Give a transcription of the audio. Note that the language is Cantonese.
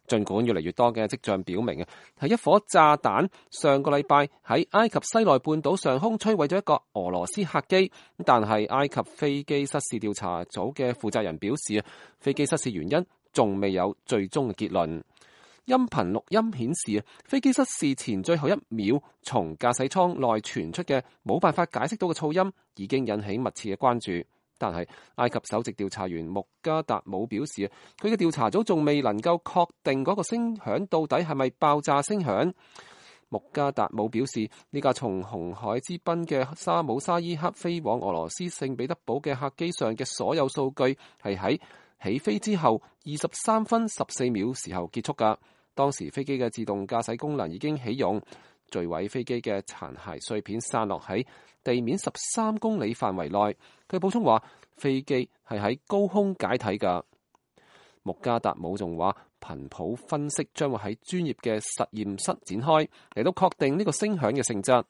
儘管越嚟越多嘅跡象表明係一顆炸彈上個禮拜喺埃及西奈半島上空摧毀咗一個俄羅斯客機，但係埃及飛機失事調查組嘅負責人表示，飛機失事原因仲未有最終嘅結論。音頻錄音顯示，飛機失事前最後一秒從駕駛艙內傳出嘅冇辦法解釋到嘅噪音已經引起密切嘅關注。但係埃及首席調查員穆加達姆表示，佢嘅調查組仲未能夠確定嗰個聲響到底係咪爆炸聲響。穆加達姆表示，呢架從紅海之濱嘅沙姆沙伊克飛往俄羅斯聖彼得堡嘅客機上嘅所有數據係喺起飛之後23分14秒時候結束㗎。當時飛機嘅自動駕駛功能已經啟用，墜毀飛機嘅殘骸碎片散落喺地面13公里範圍內。佢補充話，飛機係喺高空解體㗎。穆加達姆仲話，頻譜分析將會喺專業嘅實驗室展開，嚟到確定呢個聲響嘅性質。